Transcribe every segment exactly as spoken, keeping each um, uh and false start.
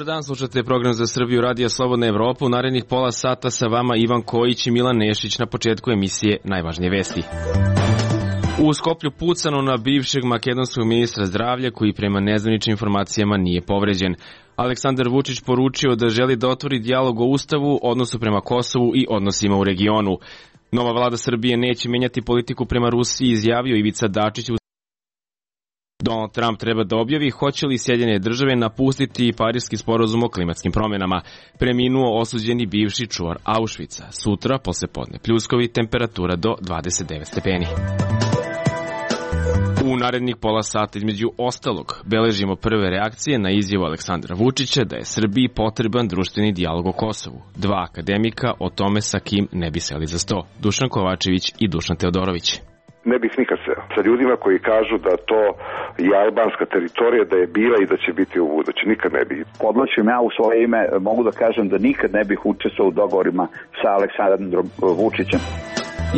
dan, slušate program za Srbiju Radija Slobodna Evropa. U narednih pola sata sa vama Ivan Kojić i Milan Nešić. Na početku emisije najvažnije vesti. U Skoplju pucano na bivšeg makedonskog ministra zdravlja koji prema nezvaničnim informacijama nije povređen. Aleksandar Vučić poručio da želi da otvori dijalog o Ustavu, odnosu prema Kosovu i odnosima u regionu. Nova vlada Srbije neće menjati politiku prema Rusiji, izjavio Ivica Dačić. Donald Trump treba da objavi hoće li Sjedinjene države napustiti Pariski sporazum o klimatskim promenama. Preminuo osuđeni bivši čuvar Auschwitza. Sutra, posle podne pljuskovi, temperatura do dvadeset devet stepeni. U narednih pola sata, između ostalog, beležimo prve reakcije na izjavu Aleksandra Vučića da je Srbiji potreban društveni dijalog o Kosovu. Dva akademika o tome sa kim ne bi seli za sto. Dušan Kovačević i Dušan Teodorović. Ne bih nikad seo sa ljudima koji kažu da to je albanska teritorija, da je bila i da će biti u budući. Nikad ne bih. Podlačim ja u svoje ime, mogu da kažem da nikad ne bih učestvovao u dogovorima sa Aleksandrom Vučićem.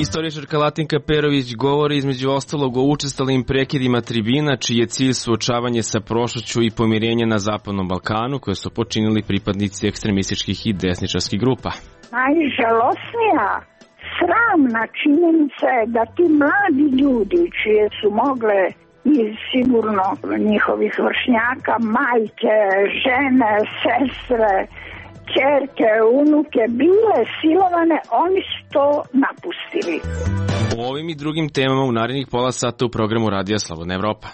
Istoričarka Latinka Perović govori između ostalog o učestalim prekidima tribina, čiji je cilj suočavanje sa prošlošću i pomirenje na Zapadnom Balkanu, koje su počinili pripadnici ekstremističkih i desničarskih grupa. Najžalosnija sramna činjenica je da ti mladi ljudi, čije su mogle iz sigurno njihovih vršnjaka, majke, žene, sestre, ćerke, unuke, bile silovane, oni su to napustili. O ovim i drugim temama u narednih pola sata u programu Radija Slobodna Evropa.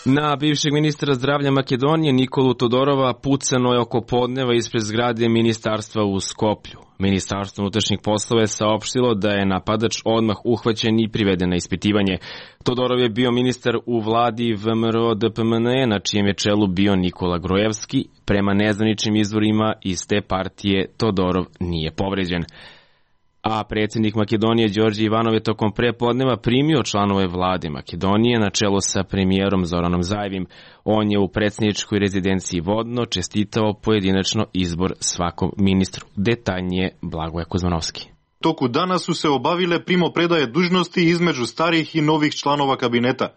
Na bivšeg ministra zdravlja Makedonije Nikolu Todorova pucano je oko podneva ispred zgrade ministarstva u Skoplju. Ministarstvo unutrašnjih poslova je saopštilo da je napadač odmah uhvaćen i priveden na ispitivanje. Todorov je bio ministar u vladi V M R O D P M N E, na čijem je čelu bio Nikola Grojevski. Prema nezvaničnim izvorima iz te partije Todorov nije povređen. A predsjednik Makedonije Đorđe Ivanov je tokom prepodneva primio članove vlade Makedonije na čelo sa premijerom Zoranom Zajevim. On je u predsjedničkoj rezidenciji Vodno čestitao pojedinačno izbor svakom ministru. Detaljnije Blagoje Kuzmanovski. Toku dana su se obavile primopredaje dužnosti između starih i novih članova kabineta.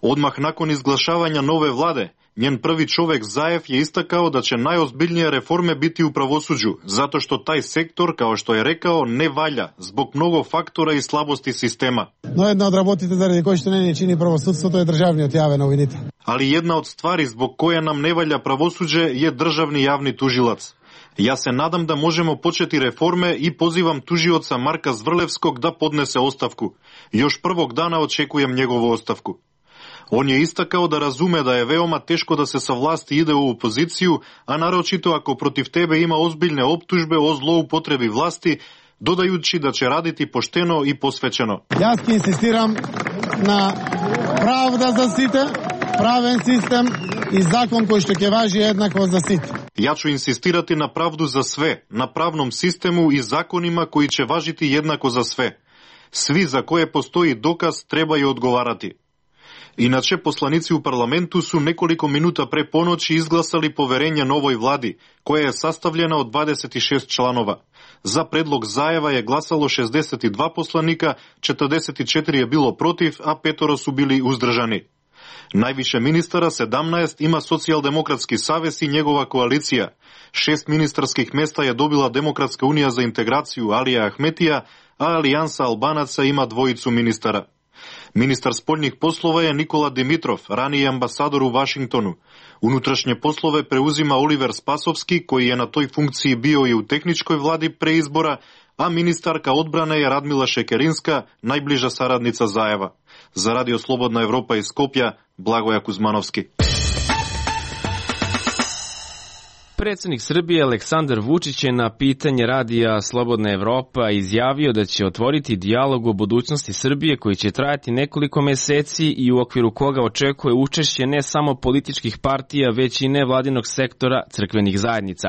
Odmah nakon izglašavanja nove vlade, njen prvi čovek Zajev je istakao da će najozbiljnije reforme biti u pravosuđu, zato što taj sektor, kao što je rekao, ne valja zbog mnogo faktora i slabosti sistema. No jedna od работите заради кои што не чини правосудството е државниот јавен обвинител. Ali jedna od stvari zbog koje nam ne valja pravosuđe je državni javni tužilac. Ja se nadam da možemo početi reforme i pozivam tužioca Marka Zvrlevskog da podnese ostavku. Još prvog dana očekujem njegovu ostavku. On je istakao da razume da je veoma teško da se sa vlasti ide u opoziciju, a naročito ako protiv tebe ima ozbiljne optužbe o zloupotrebi vlasti, dodajući da će raditi pošteno i posvećeno. Јас ќе инсистирам на правда за сите, правен систем и закон кој што ќе важи еднакво за сите. Ja ću insistirati na pravdu za sve, na pravnom sistemu i zakonima koji će važiti jednako za sve. Svi za koje postoji dokaz trebaju odgovarati. Inače, poslanici u parlamentu su nekoliko minuta pre ponoći izglasali poverenje novoj vladi, koja je sastavljena od dvadeset šest članova. Za predlog Zajeva je glasalo šezdeset dva poslanika, četrdeset četiri je bilo protiv, a petoro su bili uzdržani. Najviše ministara, sedamnaest, ima Socijaldemokratski savez i njegova koalicija. Šest ministarskih mesta je dobila Demokratska unija za integraciju Alija Ahmetija, a Alijansa Albanaca ima dvojicu ministara. Ministar spoljnih poslova je Nikola Dimitrov, raniji ambasador u Vašingtonu. Unutrašnje poslove preuzima Oliver Spasovski, koji je na toj funkciji bio i u tehničkoj vladi pre izbora, a ministarka odbrane je Radmila Šekerinska, najbliža saradnica Zajeva. Za Radio Slobodna Evropa iz Skopja, Blagoje Kuzmanovski. Predsjednik Srbije Aleksandar Vučić je na pitanje Radija Slobodna Evropa izjavio da će otvoriti dijalog o budućnosti Srbije koji će trajati nekoliko meseci i u okviru koga očekuje učešće ne samo političkih partija, već i nevladinog sektora crkvenih zajednica.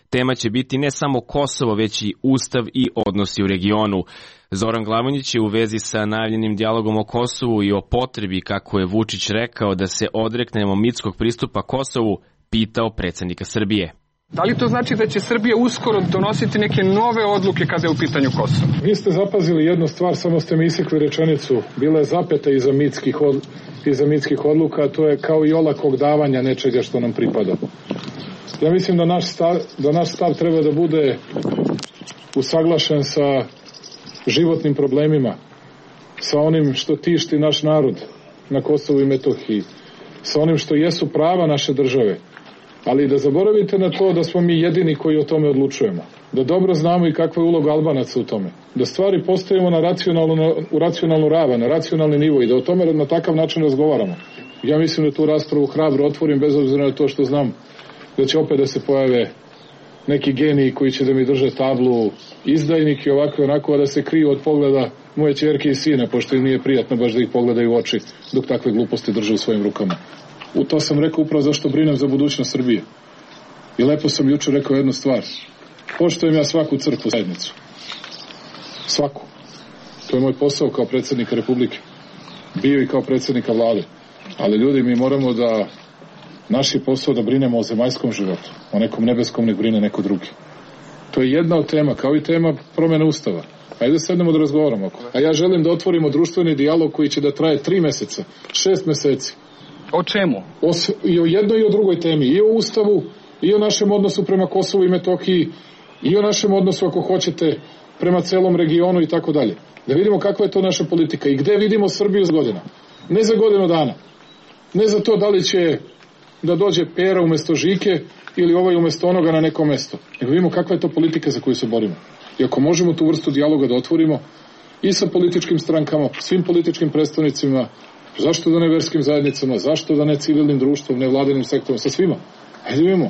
Tema će biti ne samo Kosovo, već i Ustav i odnosi u regionu. Zoran Glavonjić je u vezi sa najavljenim dijalogom o Kosovu i o potrebi, kako je Vučić rekao, da se odreknemo mitskog pristupa Kosovu, pitao predsjednika Srbije. Da li to znači da će Srbija uskoro donositi neke nove odluke kada je u pitanju Kosovo? Vi ste zapazili jednu stvar, samo ste mi isekli rečenicu. Bila je zapeta iza mitskih, od, iza mitskih odluka, a to je kao i olakog davanja nečega što nam pripada. Ja mislim da naš stav, da naš stav treba da bude usaglašen sa životnim problemima, sa onim što tišti naš narod na Kosovu i Metohiji, sa onim što jesu prava naše države, ali da zaboravite na to da smo mi jedini koji o tome odlučujemo, da dobro znamo i kakva je uloga Albanaca u tome, da stvari postavimo na racionalnu, u racionalnu ravan, na racionalni nivo i da o tome na takav način razgovaramo. Ja mislim da tu raspravu hrabro otvorim, bez obzira na to što znam da će opet da se pojave neki geniji koji će da mi drže tablu izdajnik i ovako i onako, a da se kriju od pogleda moje ćerke i sine, pošto im nije prijatno baš da ih pogledaju u oči dok takve gluposti drže u svojim rukama. U to sam rekao upravo zašto brinem za budućnost Srbije. I lepo sam jučer rekao jednu stvar. Poštujem ja svaku crkvu zajednicu. Svaku. To je moj posao kao predsjednika Republike. Bio i kao predsjednika vlade. Ali ljudi, mi moramo da naš je posao da brinemo o zemaljskom životu. O nekom nebeskom nek brine neko drugi. To je jedna od tema, kao i tema promjene ustava. Ajde sednemo da razgovaramo. A ja želim da otvorimo društveni dijalog koji će da traje tri meseca, šest meseci. O čemu? O, I o jednoj i o drugoj temi. I o ustavu, i o našem odnosu prema Kosovu i Metohiji, i o našem odnosu, ako hoćete, prema celom regionu i tako dalje. Da vidimo kakva je to naša politika i gde vidimo Srbiju za godina. Ne za godinu dana. Ne za to da li će da dođe Pera umjesto Žike ili ovaj umjesto onoga na neko mesto. Nego vidimo kakva je to politika za koju se borimo. I ako možemo tu vrstu dijaloga da otvorimo i sa političkim strankama, svim političkim predstavnicima, zašto da ne verskim zajednicama, zašto da ne civilnim društvom, ne vladinim sektorom, sa svima. Hajde vidimo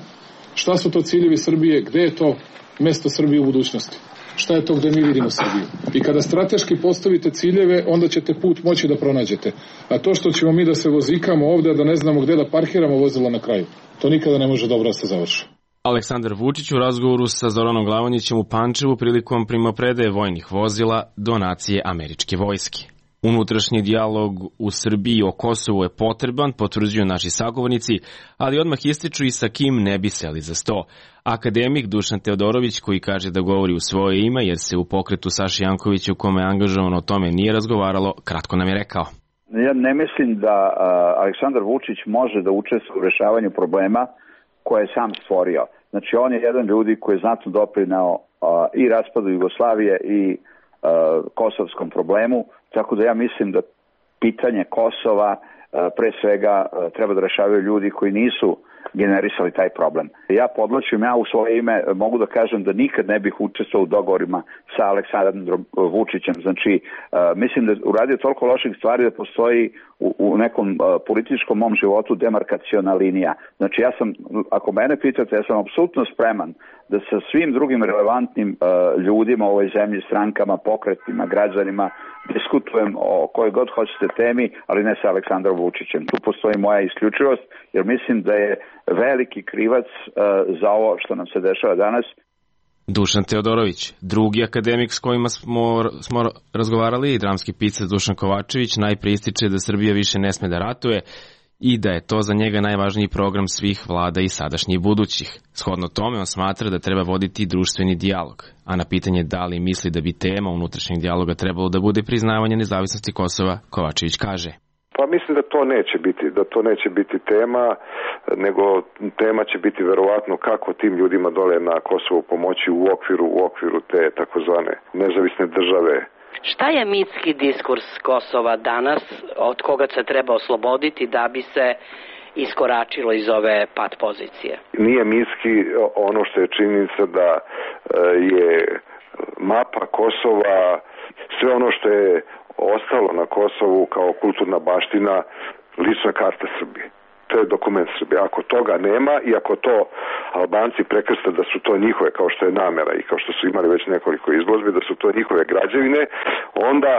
šta su to ciljevi Srbije, gde je to mesto Srbije u budućnosti. Šta je to gde mi vidimo Srbiju. I kada strateški postavite ciljeve, onda ćete put moći da pronađete. A to što ćemo mi da se vozikamo ovde, da ne znamo gde da parkiramo vozila na kraju, to nikada ne može dobro da se završi. Aleksandar Vučić u razgovoru sa Zoranom Glavonjićem u Pančevu prilikom primopredaje vojnih vozila donacije američke vojske. Unutrašnji dijalog u Srbiji o Kosovu je potreban, potvrđuju naši sagovornici, ali odmah ističu i sa kim ne bi seli za sto. Akademik Dušan Teodorović, koji kaže da govori u svoje ime, jer se u pokretu Saši Jankovića u kome je angažovan o tome nije razgovaralo, kratko nam je rekao. Ja ne mislim da uh, Aleksandar Vučić može da učestvuje u rešavanju problema koje je sam stvorio. Znači, on je jedan ljudi koji je znatno doprineo uh, i raspadu Jugoslavije i uh, kosovskom problemu, tako da ja mislim da pitanje Kosova uh, pre svega uh, treba da rešavaju ljudi koji nisu generisali taj problem. Ja podlačim, ja u svoje ime mogu da kažem da nikad ne bih učestvovao u dogovorima sa Aleksandrom Vučićem. Znači, uh, mislim da uradio toliko loših stvari da postoji u, u nekom uh, političkom mom životu demarkaciona linija. Znači, ja sam, ako mene pitate, ja sam apsolutno spreman da sa svim drugim relevantnim uh, ljudima u ovoj zemlji, strankama, pokretima, građanima, diskutujem o kojoj god hoćete temi, ali ne sa Aleksandrom Vučićem. Tu postoji moja isključivost, jer mislim da je veliki krivac uh, za ovo što nam se dešava danas. Dušan Teodorović, drugi akademik s kojima smo, smo razgovarali, dramski pisac Dušan Kovačević, najpre ističe da Srbija više ne sme da ratuje i da je to za njega najvažniji program svih vlada i sadašnjih i budućih. Shodno tome, on smatra da treba voditi društveni dijalog, a na pitanje da li misli da bi tema unutrašnjeg dijaloga trebalo da bude priznavanje nezavisnosti Kosova, Kovačević kaže. Pa mislim da to neće biti, da to neće biti tema, nego tema će biti verovatno kako tim ljudima dole na Kosovu pomoći u okviru, u okviru te takozvane nezavisne države. Šta je mitski diskurs Kosova danas, od koga se treba osloboditi da bi se iskoračilo iz ove pat pozicije? Nije mitski ono što je činjenica da je mapa Kosova, sve ono što je ostalo na Kosovu kao kulturna baština, lična karta Srbije. To je dokument Srbije. Ako toga nema i ako to Albanci prekrste da su to njihove, kao što je namera i kao što su imali već nekoliko izložbi, da su to njihove građevine, onda,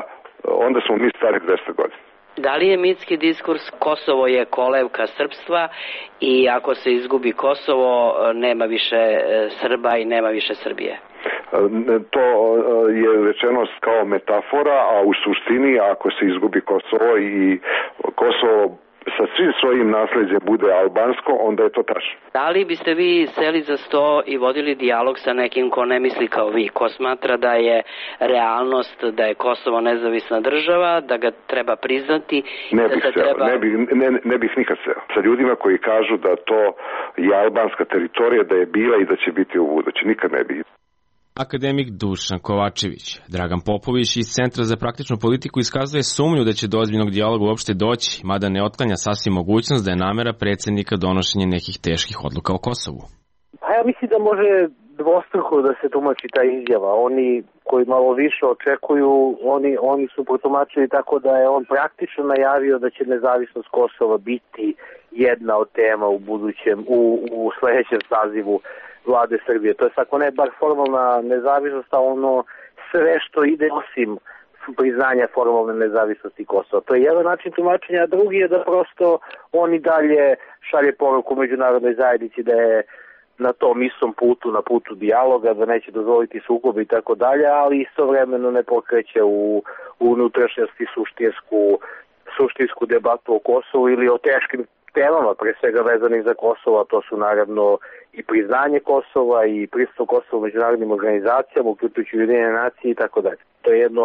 onda smo mi stari dvesta godina. Da li je mitski diskurs Kosovo je kolevka srpstva i ako se izgubi Kosovo nema više Srba i nema više Srbije? To je rečeno kao metafora, a u suštini ako se izgubi Kosovo i Kosovo sa svim svojim nasleđem bude albansko, onda je to tačno. Da li biste vi seli za sto i vodili dijalog sa nekim ko ne misli kao vi, ko smatra da je realnost, da je Kosovo nezavisna država, da ga treba priznati? Ne da bih se seo, treba... ne, bih, ne, ne bih nikad seo. Sa ljudima koji kažu da to je albanska teritorija, da je bila i da će biti u budući. Nikad ne bih. Akademik Dušan Kovačević. Dragan Popović iz Centra za praktičnu politiku iskazuje sumnju da će do ozbiljnog dijaloga uopšte doći, mada ne otklanja sasvim mogućnost da je namera predsjednika donošenje nekih teških odluka o Kosovu. Pa ja mislim da može dvostruko da se tumači ta izjava. Oni koji malo više očekuju, oni, oni su protumačili tako da je on praktično najavio da će nezavisnost Kosova biti jedna od tema u budućem, u, u sledećem sazivu vlade Srbije. To je ako ne bar formalna nezavisnost, a ono sve što ide osim priznanja formalne nezavisnosti Kosova. To je jedan način tumačenja, a drugi je da prosto on i dalje šalje poruku međunarodnoj zajednici da je na tom istom putu, na putu dijaloga, da neće dozvoliti sukobe i tako dalje, ali istovremeno ne pokreće u, u unutrašnjosti suštinsku, suštinsku debatu o Kosovu ili o teškim temama, pre svega vezanih za Kosovo, a to su naravno i priznanje Kosova i pristup Kosova u međunarodnim organizacijama, uključujući Ujedinjene nacije i tako dalje. To je jedno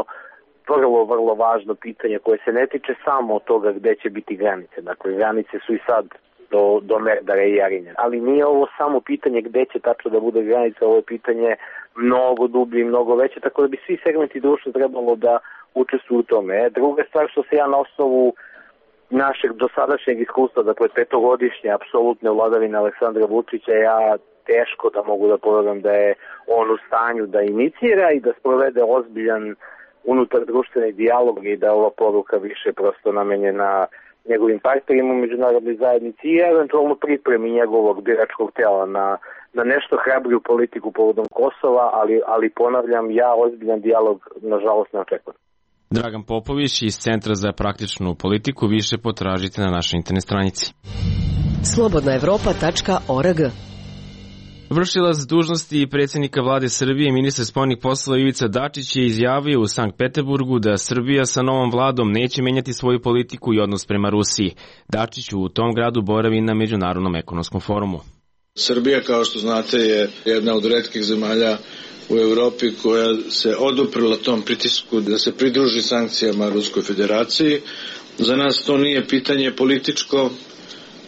vrlo, vrlo važno pitanje koje se ne tiče samo od toga gde će biti granice. Dakle, granice su i sad do, do Merdara i Jarinja. Ali nije ovo samo pitanje gde će tačno da bude granica, ovo je pitanje mnogo dublje i mnogo veće, tako da bi svi segmenti društva trebalo da učestvuju u tome. Druga stvar što se ja na osnovu našeg dosadašnjeg iskustva, dakle petogodišnje apsolutne vladavine Aleksandra Vučića, ja teško da mogu da povedam da je on u stanju da inicira i da sprovede ozbiljan unutar društveni dijalog i da ova poruka više prosto namenjena njegovim partnerima u međunarodnoj zajednici i eventualno pripremi njegovog biračkog tela na, na nešto hrabriju politiku povodom Kosova, ali, ali ponavljam, ja ozbiljan dijalog nažalost ne očekujem. Dragan Popović iz Centra za praktičnu politiku, više potražite na našoj internet stranici. slobodna evropa tačka org. Vršilac dužnosti predsjednika vlade Srbije i ministar spoljnih poslova Ivica Dačić je izjavio u Sankt Peterburgu da Srbija sa novom vladom neće menjati svoju politiku i odnos prema Rusiji. Dačić u tom gradu boravi na Međunarodnom ekonomskom forumu. Srbija, kao što znate, je jedna od retkih zemalja u Evropi koja se oduprla tom pritisku da se pridruži sankcijama Ruskoj federaciji. Za nas to nije pitanje političko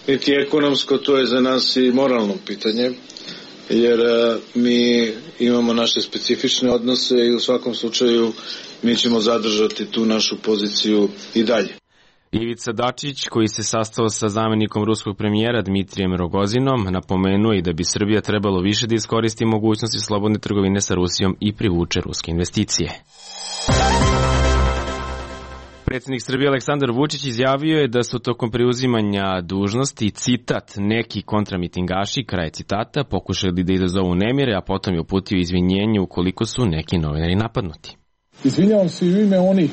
niti ekonomsko, to je za nas i moralno pitanje, jer mi imamo naše specifične odnose i u svakom slučaju mi ćemo zadržati tu našu poziciju i dalje. Ivica Dačić, koji se sastao sa zamenikom ruskog premijera Dmitrijem Rogozinom, napomenuo i da bi Srbija trebalo više da iskoristi mogućnosti slobodne trgovine sa Rusijom i privuče ruske investicije. Predsjednik Srbije Aleksandar Vučić izjavio je da su tokom preuzimanja dužnosti, citat, neki kontramitingaši, kraj citata, pokušali da izazovu nemire, a potom je uputio izvinjenje ukoliko su neki novinari napadnuti. Izvinjavam se i u ime onih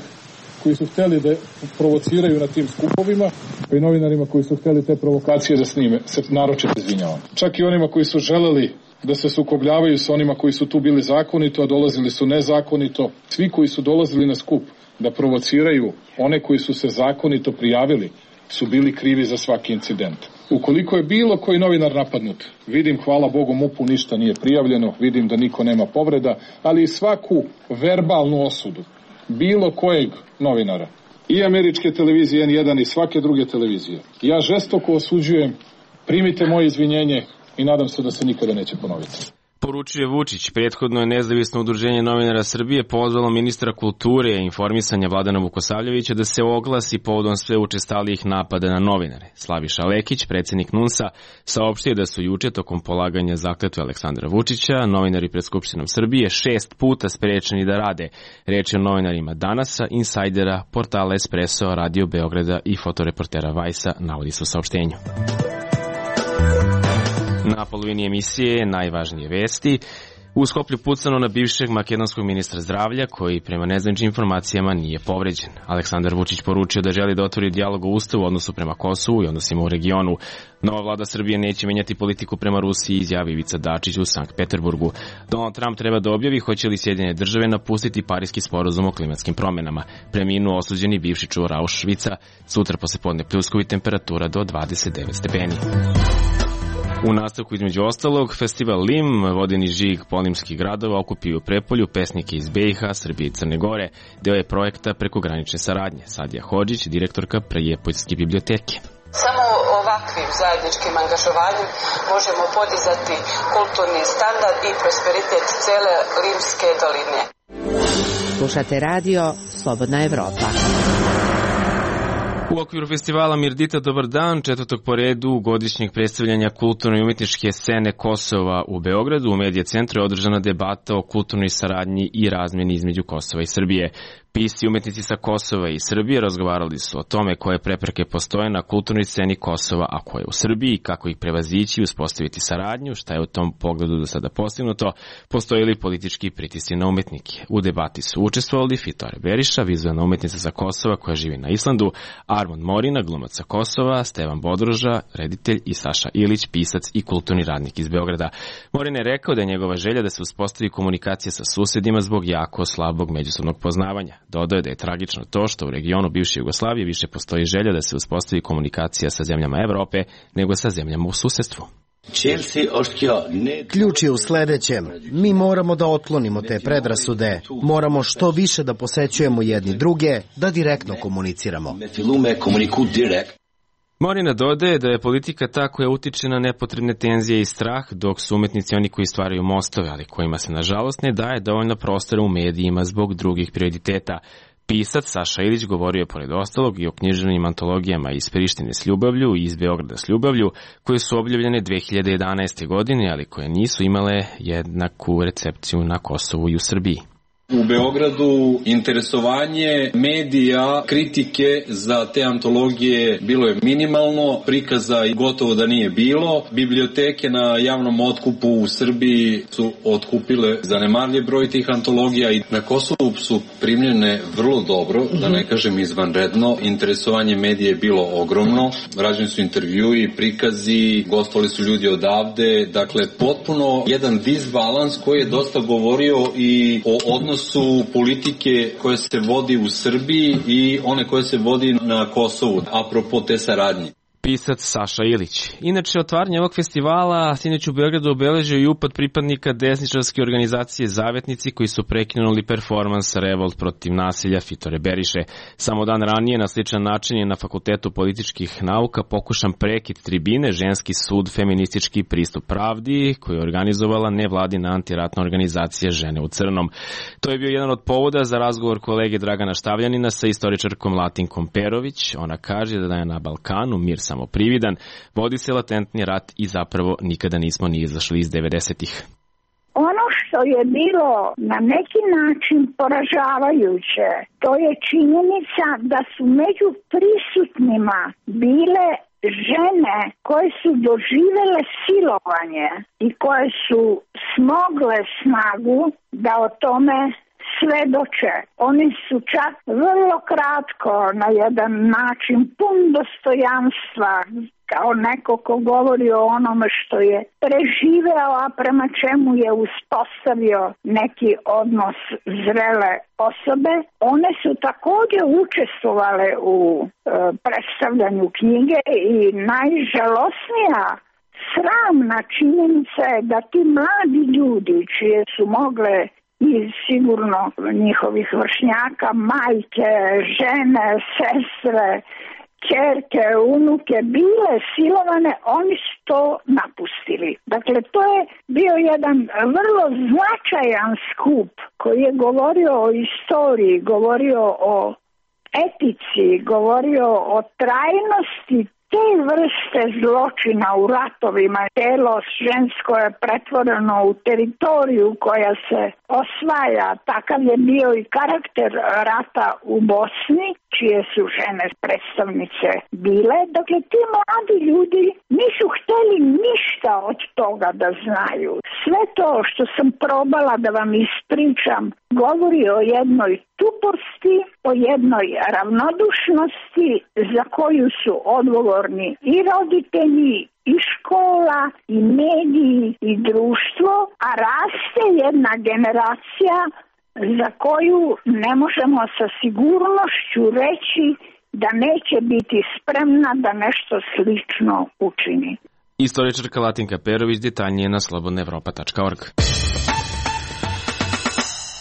koji su hteli da provociraju na tim skupovima, pa i novinarima koji su hteli te provokacije da snime, se naročito izvinjavam. Čak i onima koji su želeli da se sukobljavaju sa onima koji su tu bili zakonito, a dolazili su nezakonito. Svi koji su dolazili na skup da provociraju one koji su se zakonito prijavili, su bili krivi za svaki incident. Ukoliko je bilo koji novinar napadnut, vidim, hvala Bogu, MUP-u ništa nije prijavljeno, vidim da niko nema povreda, ali i svaku verbalnu osudu bilo kojeg novinara, i američke televizije N jedan i svake druge televizije, ja žestoko osuđujem, primite moje izvinjenje i nadam se da se nikada neće ponoviti. Poručuje Vučić. Prethodno je nezavisno udruženje novinara Srbije pozvalo ministra kulture i informisanja Vladana Vukosavljevića da se oglasi povodom sve učestalijih napada na novinare. Slaviša Lekić, predsjednik NUNS-a, saopštio da su juče tokom polaganja zakletve Aleksandra Vučića novinari pred Skupštinom Srbije šest puta sprečeni da rade. Reč je o novinarima Danasa, Insajdera, portala Espresso, Radio Beograda i fotoreportera Vajsa, navodi se u saopštenju. Na polovini emisije najvažnije vesti. U Skoplju pucano na bivšeg makedonskog ministra zdravlja, koji prema nezvaničnim informacijama nije povređen. Aleksandar Vučić poručio da želi da otvori dijalog o ustavu u odnosu prema Kosovu i odnosima u regionu. Nova vlada Srbije neće menjati politiku prema Rusiji, izjavi Ivica Dačić u Sankt Peterburgu. Donald Trump treba da objavi hoće li Sjedinjene države napustiti Pariski sporazum o klimatskim promenama. Preminuo osuđeni bivši čuvar Auschwitza, sutra poslepodne pljuskovi, temperatura do dvadeset devet stepeni. U nastavku između ostalog, festival Lim, vodeni žig polimskih gradova, okupio u Prepolju pesnike iz B i H, Srbije i Crne Gore. Deo je projekta prekogranične saradnje. Sadija Hodžić, direktorka Prejepoljske biblioteke. Samo ovakvim zajedničkim angažovanjem možemo podizati kulturni standard i prosperitet cele Limske doline. Slušate radio Slobodna Evropa. U okviru festivala Mirdita Dobar dan, četvrtog po redu godišnjeg predstavljanja kulturno i umetničke scene Kosova u Beogradu, u Medija centru je održana debata o kulturnoj saradnji i razmeni između Kosova i Srbije. Pisci i umetnici sa Kosova i Srbije razgovarali su o tome koje prepreke postoje na kulturnoj sceni Kosova, a koje u Srbiji, kako ih prevazići i uspostaviti saradnju, šta je u tom pogledu do sada postignuto, postoje li politički pritisci na umetnike. U debati su učestvovali Fitore Beriša, vizualna umetnica sa Kosova koja živi na Islandu, Armond Morina, glumac sa Kosova, Stevan Bodroža, reditelj, i Saša Ilić, pisac i kulturni radnik iz Beograda. Morin je rekao da je njegova želja da se uspostavi komunikacija sa susedima zbog jako slabog međusobnog poznavanja. Dodao je da je tragično to što u regionu bivše Jugoslavije više postoji želja da se uspostavi komunikacija sa zemljama Evrope nego sa zemljama u susedstvu. Ključ je u sledećem. Mi moramo da otklonimo te predrasude. Moramo što više da posećujemo jedni druge, da direktno komuniciramo. Morina dodaje da je politika ta koja utiče na nepotrebne tenzije i strah, dok su umetnici oni koji stvaraju mostove, ali kojima se nažalost ne daje dovoljno prostora u medijima zbog drugih prioriteta. Pisac Saša Ilić govorio je pored ostalog i o književnim antologijama iz Prištine s ljubavlju i iz Beograda s ljubavlju, koje su objavljene dve hiljade jedanaeste. godine, ali koje nisu imale jednaku recepciju na Kosovu i u Srbiji. U Beogradu interesovanje medija, kritike za te antologije bilo je minimalno, prikaza gotovo da nije bilo. Biblioteke na javnom otkupu u Srbiji su otkupile zanemarljiv broj tih antologija i na Kosovu su primljene vrlo dobro, da ne kažem izvanredno. Interesovanje medija je bilo ogromno, rađeni su intervjui, prikazi, gostovali su ljudi odavde, dakle potpuno jedan disbalans koji je dosta govorio i o odnosu su politike koje se vodi u Srbiji i one koje se vodi na Kosovu, apropo te saradnje. Pisac Saša Ilić. Inače, otvaranje ovog festivala sinoć u Beogradu obeležio i upad pripadnika desničarske organizacije Zavetnici koji su prekinuli performans Revolt protiv nasilja Fitore Beriše. Samo dan ranije na sličan način je na Fakultetu političkih nauka pokušan prekid tribine Ženski sud feministički pristup pravdi koju je organizovala nevladina antiratna organizacija Žene u crnom. To je bio jedan od povoda za razgovor kolege Dragana Štavljanina sa istoričarkom Latinkom Perović. Ona kaže da je na Balkanu mir samo prividan, vodi se latentni rat i zapravo nikada nismo ni izašli iz devedesetih. Ono što je bilo na neki način poražavajuće, to je činjenica da su među prisutnima bile žene koje su doživele silovanje i koje su smogle snagu da o tome svedoče. Oni su čak vrlo kratko, na jedan način pun dostojanstva, kao neko ko govori o onome što je preživeo, a prema čemu je uspostavio neki odnos zrele osobe. One su također učestvovale u e, predstavljanju knjige i najžalosnija sramna činjenica je da ti mladi ljudi čije su mogle i sigurno njihovih vršnjaka, majke, žene, sestre, ćerke, unuke bile silovane, oni su to napustili. Dakle, to je bio jedan vrlo značajan skup koji je govorio o istoriji, govorio o etici, govorio o trajnosti te vrste zločina u ratovima, telo žensko je pretvoreno u teritoriju koja se osvaja, takav je bio i karakter rata u Bosni, čije su žene predstavnice bile. Dakle, ti mladi ljudi nisu hteli ništa od toga da znaju. Sve to što sam probala da vam ispričam govori o jednoj tuposti, o jednoj ravnodušnosti za koju su odgovorni i roditelji, i škola, i mediji, i društvo, a raste jedna generacija za koju ne možemo sa sigurnošću reći da neće biti spremna da nešto slično učini. Istoričarka Latinka Perović, detaljnije na slobodna evropa tačka org.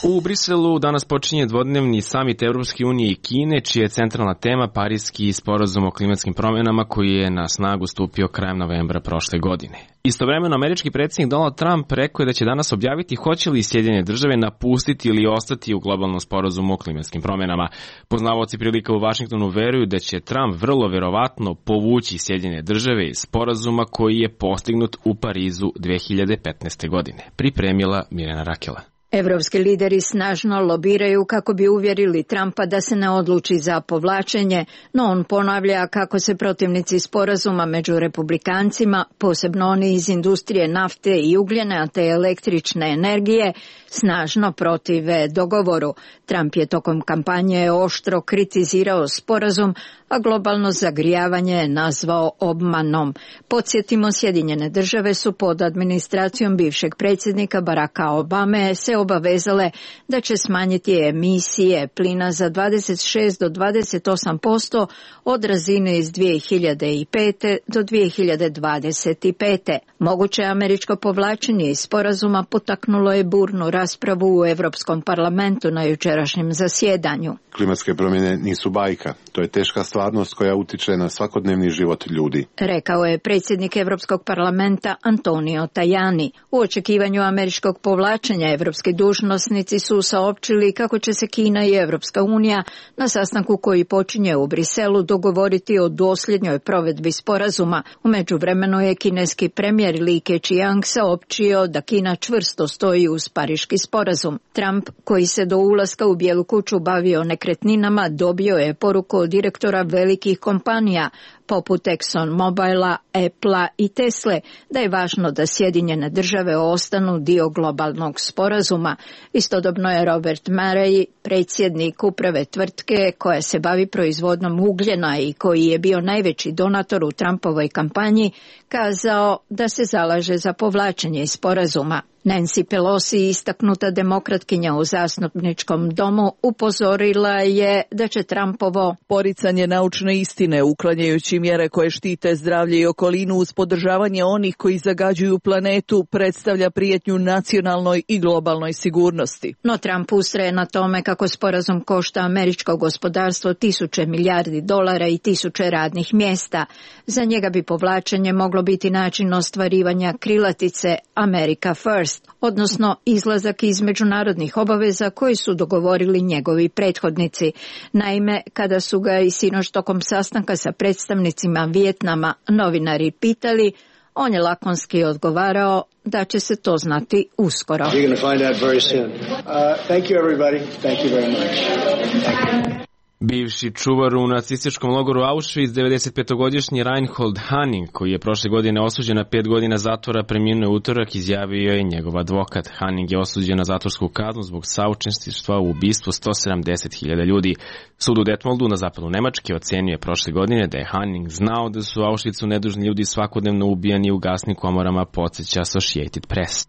U Briselu danas počinje dvodnevni samit Evropske unije i Kine, čija je centralna tema Pariski sporazum o klimatskim promjenama koji je na snagu stupio krajem novembra prošle godine. Istovremeno, američki predsjednik Donald Trump rekao je da će danas objaviti hoće li Sjedinjene države napustiti ili ostati u globalnom sporazumu o klimatskim promjenama. Poznavaoci prilika u Vašingtonu veruju da će Trump vrlo verovatno povući Sjedinjene države iz sporazuma koji je postignut u Parizu dve hiljade petnaeste. godine. Pripremila Mirjana Rakela. Evropski lideri snažno lobiraju kako bi uvjerili Trumpa da se ne odluči za povlačenje, no on ponavlja kako se protivnici sporazuma među republikancima, posebno oni iz industrije nafte i ugljena te električne energije, snažno protive dogovoru. Trump je tokom kampanje oštro kritizirao sporazum, a globalno zagrijavanje je nazvao obmanom. Podsjetimo, Sjedinjene države su pod administracijom bivšeg predsjednika Baracka Obame se obavezale da će smanjiti emisije plina za dvadeset šest do dvadeset osam posto od razine iz dvije hiljade pete do dvije hiljade dvadeset pete. Moguće američko povlačenje iz sporazuma potaknulo je burnu raspravu u Evropskom parlamentu na jučerašnjem zasjedanju. Klimatske promjene nisu bajka, to je teška stvarnost koja utiče na svakodnevni život ljudi, rekao je predsjednik Evropskog parlamenta Antonio Tajani. U očekivanju američkog povlačenja evropski dužnosnici su saopćili kako će se Kina i Evropska unija na sastanku koji počinje u Briselu dogovoriti o dosljednjoj provedbi sporazuma. U međuvremenu je kineski premijer Li Keqiang saopćio da Kina čvrsto stoji uz Pariški sporazum. Trump, koji se do ulaska u Bijelu kuću bavio nekretninama, dobio je poruku od direktora velikih kompanija poput ExxonMobila, Applea i Tesle da je važno da Sjedinjene države ostanu dio globalnog sporazuma. Istodobno je Robert Murray, predsjednik uprave tvrtke koja se bavi proizvodnom ugljena i koji je bio najveći donator u Trumpovoj kampanji, kazao da se zalaže za povlačenje iz sporazuma. Nancy Pelosi, istaknuta demokratkinja u zastupničkom domu, upozorila je da će Trumpovo poricanje naučne istine, uklanjajući mjere koje štite zdravlje i okolinu uz podržavanje onih koji zagađuju planetu, predstavlja prijetnju nacionalnoj i globalnoj sigurnosti. No Trump ustraje na tome kako sporazum košta američko gospodarstvo tisuće milijardi dolara i tisuće radnih mjesta. Za njega bi povlačenje moglo biti način ostvarivanja krilatice America First, odnosno izlazak iz međunarodnih obaveza koji su dogovorili njegovi prethodnici. Naime, kada su ga i sinoć tokom sastanka sa predstavnicima Vijetnama novinari pitali, on je lakonski odgovarao da će se to znati uskoro. Bivši čuvar u nacističkom logoru Auschwitz, devedesetpetogodišnji Reinhold Hanning, koji je prošle godine osuđen na pet godina zatvora, preminuo je utorak, izjavio je njegov advokat. Hanning je osuđen na zatvorsku kaznu zbog saučesništva u ubistvu sto sedamdeset hiljada ljudi. Sud u Detmoldu na zapadu Nemačke ocenio je prošle godine da je Hanning znao da su u Auschwitzu nedužni ljudi svakodnevno ubijani u gasnim komorama, podsjeća Associated Press.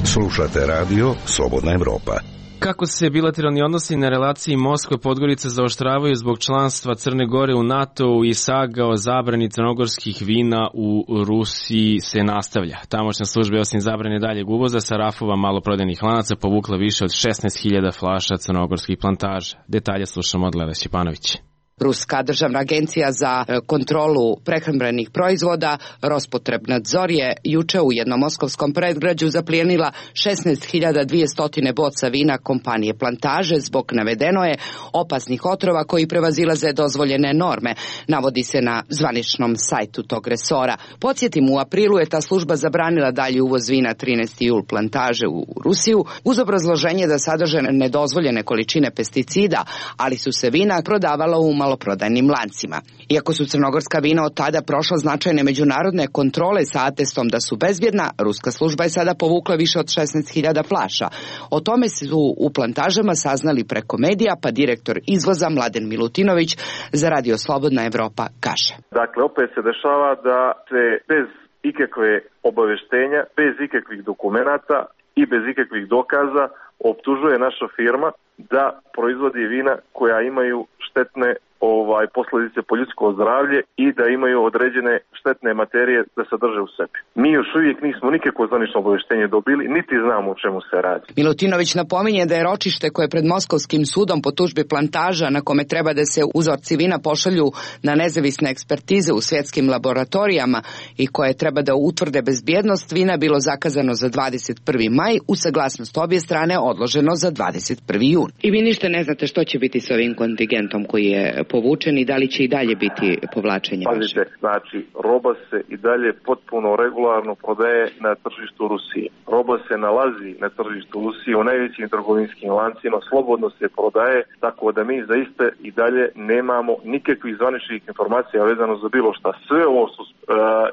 Slušate radio Slobodna Evropa. Kako se bilateralni odnosi na relaciji Moskva-Podgorica zaoštravaju zbog članstva Crne Gore u NATO i saga o zabrani crnogorskih vina u Rusiji se nastavlja. Tamošnja služba je osim zabrane daljeg uvoza sa rafova maloprodajnih lanaca povukla više od šesnaest hiljada flaša crnogorskih plantaža. Detalje slušamo od Lele Šćepanović. Ruska državna agencija za kontrolu prehrambenih proizvoda Rospotrebnadzor je juče u jednom moskovskom predgrađu zaplijenila šesnaest hiljada dvesta boca vina kompanije Plantaže zbog, navedeno je, opasnih otrova koji prevazilaze dozvoljene norme, navodi se na zvaničnom sajtu tog resora. Podsjetim, u aprilu je ta služba zabranila dalji uvoz vina trinaesti jul Plantaže u Rusiju uz obrazloženje da sadrže nedozvoljene količine pesticida, ali su se vina prodavala u maloprodajnim lancima. Iako su crnogorska vina od tada prošla značajne međunarodne kontrole sa atestom da su bezbjedna, ruska služba je sada povukla više od šesnaest hiljada flaša. O tome su u Plantažama saznali preko medija, pa direktor izvoza Mladen Milutinović za Radio Slobodna Evropa kaže. Dakle, opet se dešava da se bez ikakve obaveštenja, bez ikakvih dokumenata i bez ikakvih dokaza optužuje naša firma da proizvodi vina koja imaju štetne ovaj posljedice po ljudsko zdravlje i da imaju određene štetne materije da sadrže u sebi. Mi još uvijek nismo nikakvo zvanično obavještenje dobili, niti znamo o čemu se radi. Milutinović napominje da je ročište koje pred Moskovskim sudom po tužbi Plantaža, na kome treba da se uzorci vina pošalju na nezavisne ekspertize u svjetskim laboratorijama i koje treba da utvrde bezbjednost vina, bilo zakazano za dvadeset prvi maj, u saglasnost obje strane odloženo za dvadeset prvi jun. I vi ništa ne znate što će biti s ovim kontingentom koji je povučen i da li će i dalje biti povlačenje? Pazite, znači, roba se i dalje potpuno regularno prodaje na tržištu Rusije. Roba se nalazi na tržištu Rusije u najvećim trgovinskim lancima, slobodno se prodaje, tako da mi zaista i dalje nemamo nikakvih zvaničnih informacija vezano za bilo šta. Sve ovo su uh,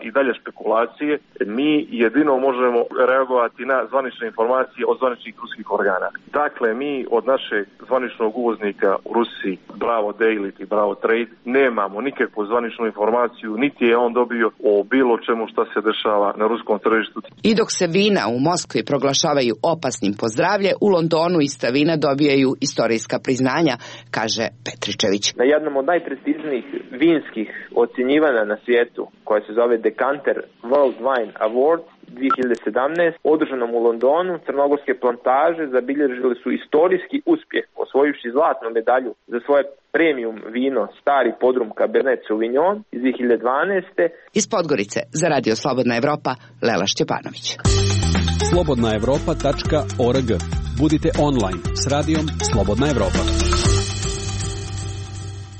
i dalje špekulacije. Mi jedino možemo reagovati na zvanične informacije od zvaničnih ruskih organa. Dakle, mi od našeg zvaničnog uvoznika u Rusiji, Bravo Daily i Bravo Trade, nemamo nikakvu zvaničnu informaciju, niti je on dobio o bilo čemu šta se dešava na ruskom tržištu. I dok se vina u Moskvi proglašavaju opasnim po zdravlje, u Londonu ista vina dobijaju istorijska priznanja, kaže Petričević. Na jednom od najprestižnijih vinskih ocjenjivanja na svijetu, koja se zove Decanter World Wine Award dvije hiljade sedamnaeste. održanom u Londonu, crnogorske Plantaže zabilježile su istorijski uspjeh, osvojivši zlatnu medalju za svoje premium vino Stari Podrum Cabernet Sauvignon iz dvije hiljade dvanaeste. Iz Podgorice za Radio Slobodna Evropa, Lela Šćepanović. slobodna evropa tačka org. Budite online s radijom Slobodna Evropa.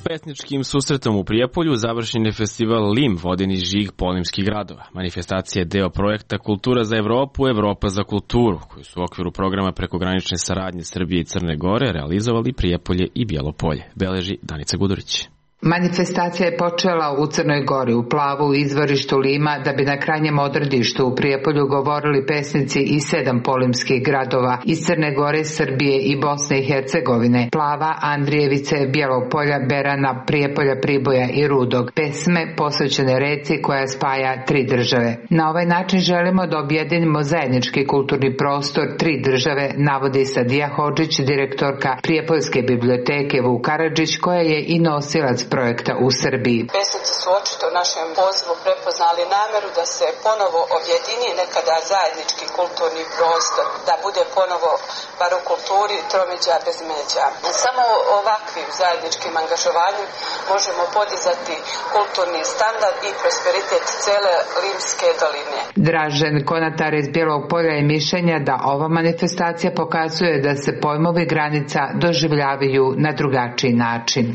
Pesničkim susretom u Prijepolju završen je festival Lim, vodeni žig polimskih gradova. Manifestacija je deo projekta Kultura za Evropu, Evropa za kulturu, koji su u okviru programa prekogranične saradnje Srbije i Crne Gore realizovali Prijepolje i Bjelopolje, beleži Danica Gudurić. Manifestacija je počela u Crnoj Gori, u Plavu, u izvorištu Lima, da bi na krajnjem odredištu u Prijepolju govorili pesnici iz sedam polimskih gradova iz Crne Gore, Srbije i Bosne i Hercegovine, Plava, Andrijevice, Bjelopolja, Berana, Prijepolja, Priboja i Rudog. Pesme posvećene reci koja spaja tri države. Na ovaj način želimo da objedinimo zajednički kulturni prostor tri države, navodi Sadija Hodžić, direktorka Prijepoljske biblioteke Vuk Karadžić, koja je i nosilac projekta u Srbiji. Pesnici su očito u našem pozivu prepoznali nameru da se ponovo objedini nekada zajednički kulturni prostor, da bude ponovo, bar u kulturi, tromeđa bez međa. Samo ovakvim zajedničkim angažovanjem možemo podizati kulturni standard i prosperitet cele Limske doline. Dražen Konatar iz Bijelog Polja je mišljenja da ova manifestacija pokazuje da se pojmovi granica doživljavaju na drugačiji način.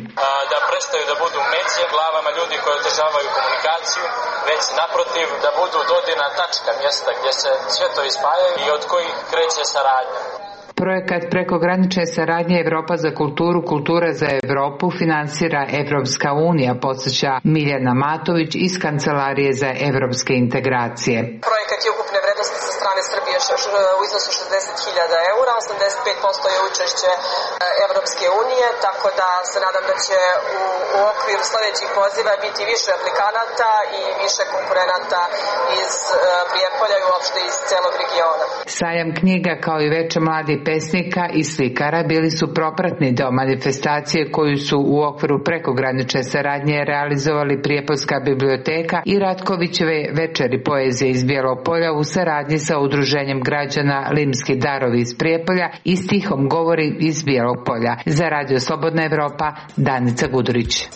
Da prestaju da budu međe glavama ljudi koji održavaju komunikaciju, već naprotiv da budu dodirna tačka, mjesta gdje se sve to ispajaju i od kojih kreće saradnja. Projekat prekogranične saradnje Evropa za kulturu, Kultura za Evropu finansira Evropska unija, podsjeća Miljana Matović iz Kancelarije za evropske integracije. Projekat je ukupne vrednosti sa strane Srbije u iznosu šezdeset hiljada eura, osamdeset pet posto je učešće Evropske unije, tako da se nadam da će u, u okviru sljedećih poziva biti više aplikanata i više konkurenata iz uh, Prijepolja Prijepolja i uopšte iz celog regiona. Sajam knjiga kao i veče mladih pesnika i slikara bili su propratni deo manifestacije koju su u okviru prekogranične saradnje realizovali Prijepoljska biblioteka i Ratkovićeve večeri poezije iz Bijelog Polja u saradnji sa udruženjem građana Limski darovi iz Prijepolja i stihom govori iz Bijelog Polja. Za Radio Slobodna Evropa, Danica Gudurić.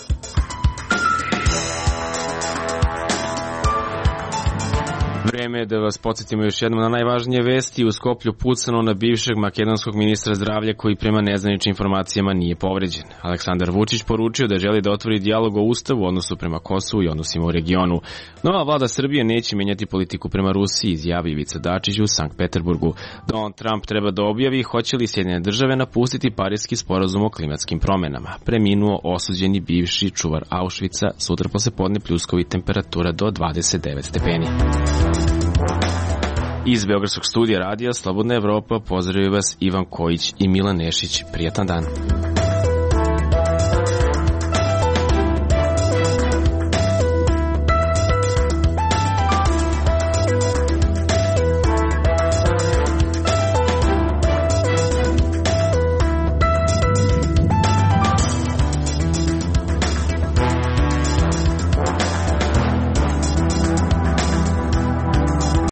Vreme je da vas podsjetimo još jednom na najvažnije vesti. U Skoplju pucano na bivšeg makedonskog ministra zdravlja koji prema nezvaničnim informacijama nije povređen. Aleksandar Vučić poručio da želi da otvori dijalog o ustavu, odnosu prema Kosovu i odnosima u regionu. Nova vlada Srbije neće menjati politiku prema Rusiji, izjavi Ivica Dačić u Sankt Peterburgu. Donald Trump treba da objavi hoće li Sjedinjene države napustiti Pariski sporazum o klimatskim promenama. Preminuo osuđeni bivši čuvar Auschwitza, sutra posle podne pljuskovi temperatura do dvadeset devet stepeni. Iz Beogradskog studija radija Slobodna Evropa pozdravljaju vas Ivan Kojić i Milan Nešić. Prijatan dan.